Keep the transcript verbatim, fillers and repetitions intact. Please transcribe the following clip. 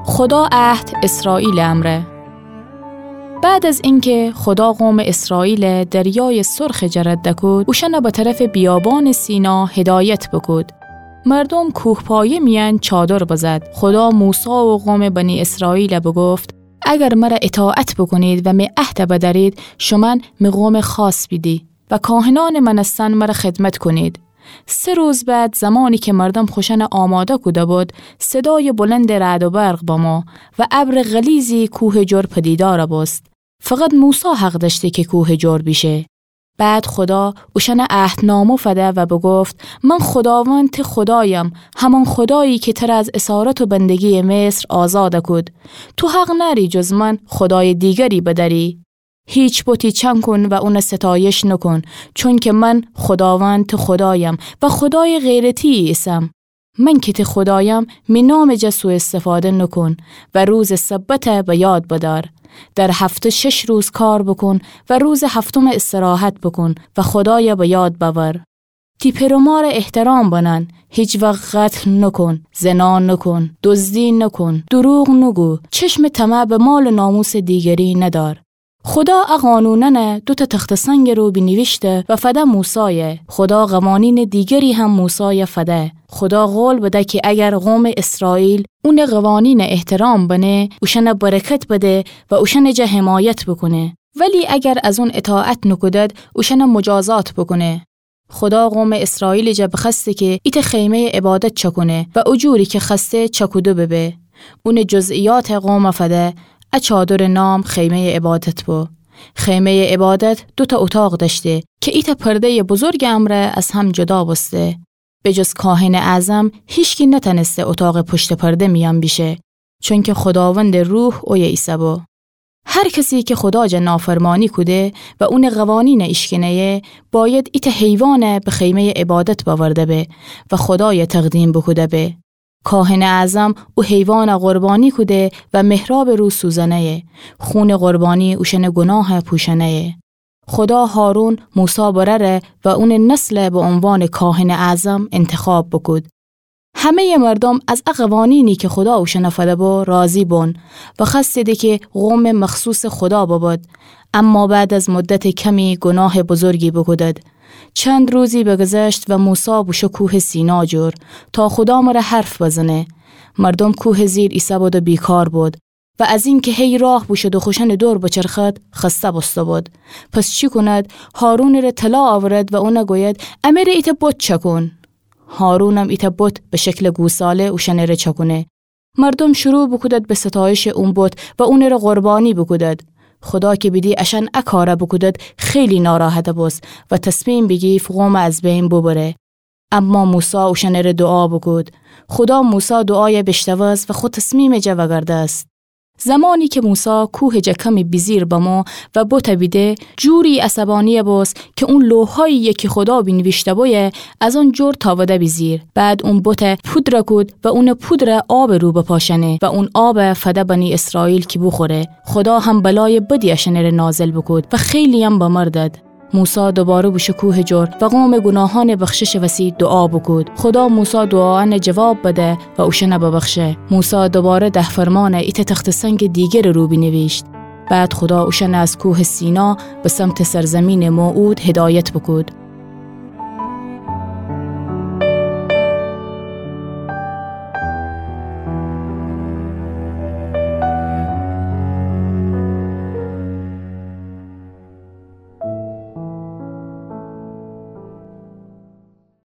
خودا عهد اسرائیل امرأ. بعد از اینکه خودا قوم اسرائیل دریای سرخ جه رد دکود، اوشأن به طرف بیابان سینا هدایت بکود. مردوم کوهپایه میأن چادر بزد. خودا موسی و قوم بنی اسرائیل بگفت: اگر مر اطاعت بکونید و می عهد بدأرید، شومأن می قوم خاص بیدی و کاهنأن منستن مر خدمت کونید. سه روز بعد، زمانی که مردوم خوشأن آماده کوده بود، صدای بلند رعد و برق بمو و ابر غلیظی کوه جر پدیدار بوست. فقط موسی حق دأشته که کوه جر بیشه. بعد خودا اوشأن عهدنامه فده و بگفت: من خوداوند ته خودایم، همان خودایی که تر از اسارت و بندگی مصر آزاد کود. تو حق نأری جز من خودای دیگری بدأری. هیچ بتی چأن کون و اون ستایش نکون، چونکه من خوداوند ته خودایم و خودای غیر تی ایسم. من که ته خودایم، می نام جا سوء استفاده نکون و روز سبت به یاد بدأر. در هفته شش روز کار بکون و روز هفتم استراحت بکون و خودای به یاد بأور. تی پئر و مار احترام بنن، هیچ وقت قتل نکون، زنا نکون، دزدی نکون، دروغ نگو، چشم طمع به مال و ناموس دیگری ندأر. خودا ا قانونأن دوتا تخته سنگ رو بینیویشته و فده موسای. خودا قوانین دیگری هم موسای فده. خودا قول بده که اگر قوم اسرائیل اون قوانین احترام بنه، اوشأن برکت بده و اوشأن جا حمایت بکونه. ولی اگر از اون اطاعت نکودد، اوشأن مجازات بکونه. خودا قوم اسرائیل جا بخوأسته که ایتأ خیمهٔ عبادت چأکونه و او جوری که خوأسته چأکوده ببه. اون جزئیات قوم فده. ا چادر نام خیمهٔ عبادت بو. خیمهٔ عبادت دوتا اتاق دأشته که ایتأ پردهٔ بزرگ امرأ از هم جدا بوسته. به جز کاهن اعظم هیچکی نتأنسته اتاق پشت پرده میأن بیشه، چونکه خوداوند روح اویه ایسه بو. هر کسی که خودا جا نافرمانی کوده و اون قوانین ایشکنه‌یه، باید ایتأ حیوان به خیمهٔ عبادت بأورده به و خودای تقدیم بوکوده به. کاهن اعظم او حیوان قربانی کوده و محراب رو سوزنه‌یه. خون قربانی اوشأن گناه پوشنه‌یه. خودا هارون، موسی برأر و اون نسل به عنوان کاهن اعظم انتخاب بوکود. همهٔ مردم از ا قوانینی که خودا اوشأن فده بو راضی بون و خوأستیدی که قوم مخصوص خودا ببد. اما بعد از مدت کمی گناه بزرگی بوکودد. چند روزی بگذشت و موسی بوشو کوه سینا جور تا خودا مره حرف بزنه. مردم کوه زیر ایسه بود و بیکار بود و از اینکه هی راه بوشد و خوشأن دور بچرخد، خسته بوسته بود. پس چی کند؟ هارون ره طلا آورد و اون گوید: امره ایتأ بت چأکون. هارونم ایتأ بت به شکل گوساله اوشأن ره چأکونه. مردم شروع بوکودد به ستایش اون بت و اون ره قربانی بوکودد. خودا که بیدی اشأن ا کار بوکودد، خیلی ناراحت بوست و تصمیم بیگیفت قوم از بین ببره. اما موسی اوشأن ره دعا بوکود. خودا موسی دعای بیشنوست و خو تصمیم جا وگردست. زمانی که موسی کوه جا کمی بیزیر بمو و بت بیده، جوری عصبانی بوست که اون لوحایی که خودا بینیویشته بویه از آن جور تاوده بیزیر. بعد اون بت پودر کود و اون پودر آب رو بپاشنه و اون آب فده بنی اسرائیل که بوخوره. خودا هم بلای بدی اشأن ره نازل بوکود و خیلی هم بمردد. موسی دوباره بوشو کوه جور و قوم گناهان بخشش وسی دعا بوکود. خودا موسی دعایأن جواب بده و اوشأن ببخشه. موسی دوباره ده فرمان ایتأ تخته سنگ دیگر رو بینیویشت. بعد خودا اوشأن از کوه سینا به سمت سرزمین موعود هدایت بوکود.